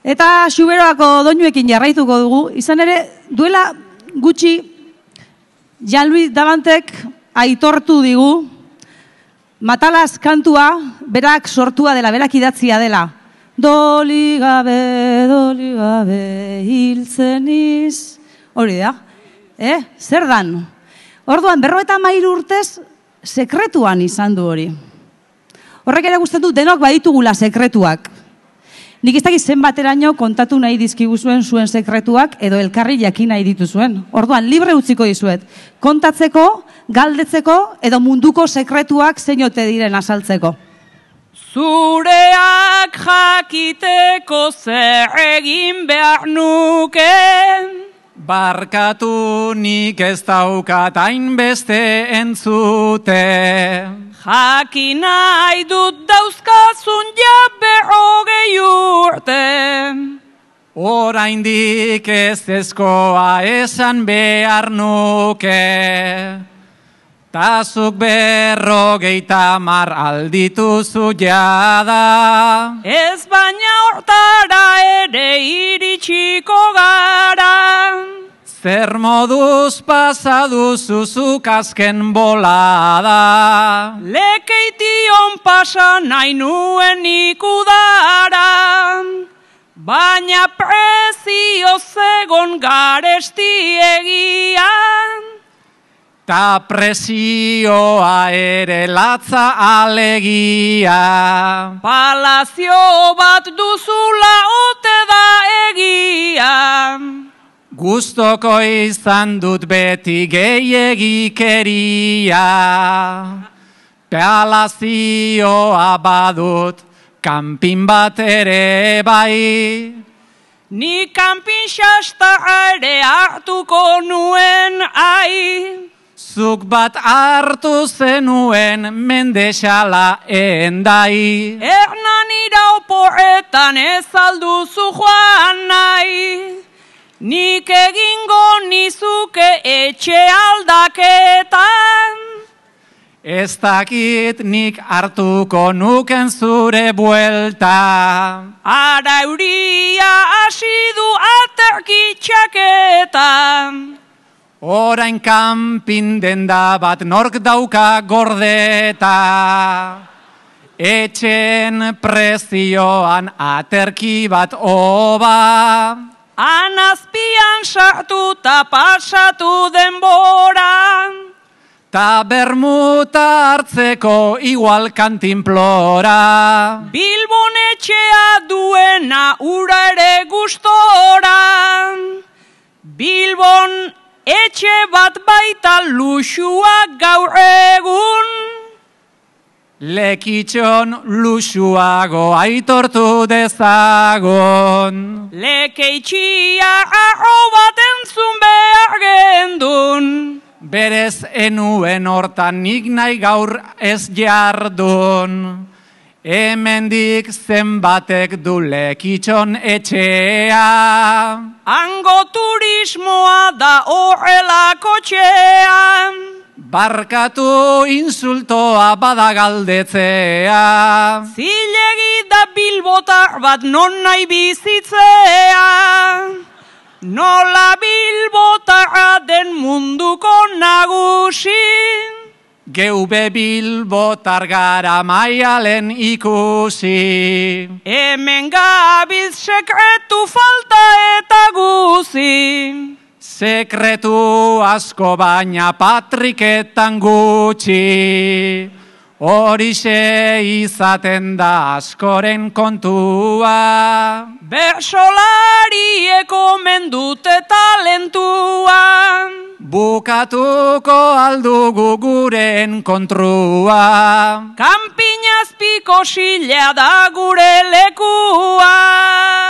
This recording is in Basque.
Eta Xuberoako doinuekin jarraituko dugu. Izan ere, duela gutxi Jean-Louis Davantek aitortu digu Matalaz kantua berak sortua dela, berak idatzia dela. Doli gabe, hiltzen iz. Hori da. Zer dan? Orduan, 53 urtez, sekretuan izan du hori. Horrek ere gustatzen du denok baditugula sekretuak. Nik ez dakit zenbateraino kontatu nahi dizkiguzuen zuen sekretuak edo elkarri jakin nahi dituzuen. Orduan, libre utziko dizuet. Kontatzeko, galdetzeko edo munduko sekretuak zein ote diren azaltzeko. Zureak jakiteko zer egin behar nuke. Barkatu nik ez daukat hainbeste entzute. Jakin nahi dut dauzkazun jabe 20 urte. Oraindik ez ezkoa esan behar nuke. Tazuk 50 aldituzu jada. Ez baina hortara ere iritsiko gara. Zer moduz pasaduzuzuk azken bolada. Lekeition pasa nahi nuen ikudara. Baina prezio zegon garesti egian. Ta presioa ere latza alegia. Palazio bat duzula ote da egia. Gustoko izan dut beti gehiegikeria. Palazioa badut kanpin bat ere bai. Ni kanpin xasta ere hartuko nuen ai. Zuk bat hartu zenuen mendexala endai. Ernan irauporetan ez alduzu joan nahi. Nik egingo nizuke etxe aldaketan. Ez dakit nik hartuko nuken zure buelta. Ara euria hasi du aterkitxaketan. Orain kanpin denda bat nork dauka gordeta. Etxen prezioan aterki bat oba. Anazpian sartu ta pasatu denbora. Ta bermuta hartzeko igual kantinplora. Bilbon etxea duena ura ere gustora. Bilbon etxe bat baita luxua gaur egun. Lekitxon luxuago aitortu dezagon. Lekeitxia arro bat entzun behar gendun. Berez enuen hortan nik nahi gaur ez jardun. Hemendik zenbatek du Lekitxon etxea. Hango turismoa da horrelako txea. Barkatu insultoa bada galdetzea. Zilegi da bilbotar bat non nahi bizitzea. Nola bilbotarra den munduko nagusi. Geube bilbotar gara maialen ikusi. Hemen gabiz sekretu falta eta guzi. Sekretu asko baina patriketan gutxi. Horixe izaten da askoren kontua. Bersolarieko mendute talentua. Bukatuko aldugu guren kontrua. Kanpinazpiko xilea da gure lekua.